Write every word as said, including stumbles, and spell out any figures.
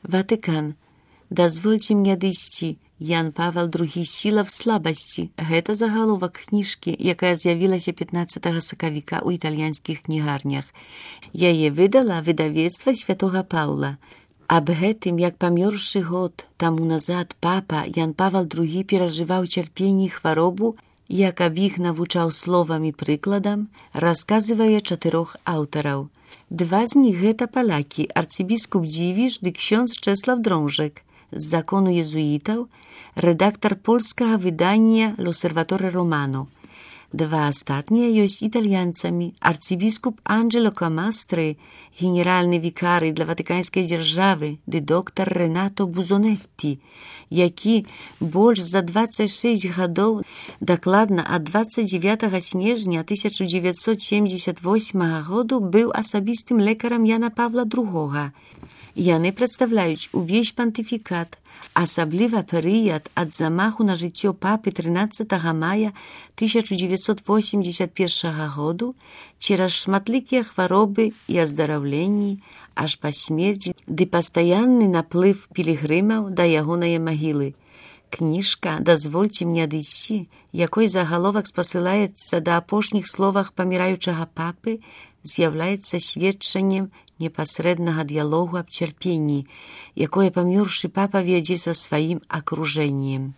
Ватыкан. Дазвольце мне адысці. Ян Павел другі. Сіла в слабасці. Гэта загаловак кніжкі, якая з'явілася пятнаццатага сакавіка ў італьянскіх кнігарнях. Яе выдала выдавецтва святога Паўла. Аб гэтым, як памёршы год таму назад папа Ян Павел другі перажываў цярпенне і хваробу, як аб іх навучаў словам і прыкладам, расказвае чатырох аўтараў. Два з них гэта палякі, арцыбіскуп Дзівіш ды ksiądz Czesław Drążek, з закону езуітаў, рэдактар польскага выдання «L'Osservatore Romano». Два астатнія ёсць італьянцамі, арцыбіскуп Анджело Камастры, генеральны вікарый для ватыканскай дзяржавы, ды доктар Ренато Бузонетті, які больш за дваццаць шэсць гадоў, дакладна ад дваццаць дзевятага снежня тысяча дзевяцьсот семдзесят восьмага году быў асабістым лекарам Яна Павла другога. Яны прадстаўляюць увесь пантыфікат, асабліва перыяд ад замаху на жыццё папы трынаццатага мая тысяча дзевяцьсот восемьдесят першага году цераз шматлікія хваробы і аздараўленні аж па смерці ды пастаянны наплыв пілігрымаў да ягонае магілы. Кніжка «Дазвольце мне адысці», якой загаловак спасылаецца да апошніх словах паміраючага папы, з'яўляецца сведчаннем непасрэднага дыялогу аб цярпенні, якое памёршы папа вядзе са сваім акружэннем.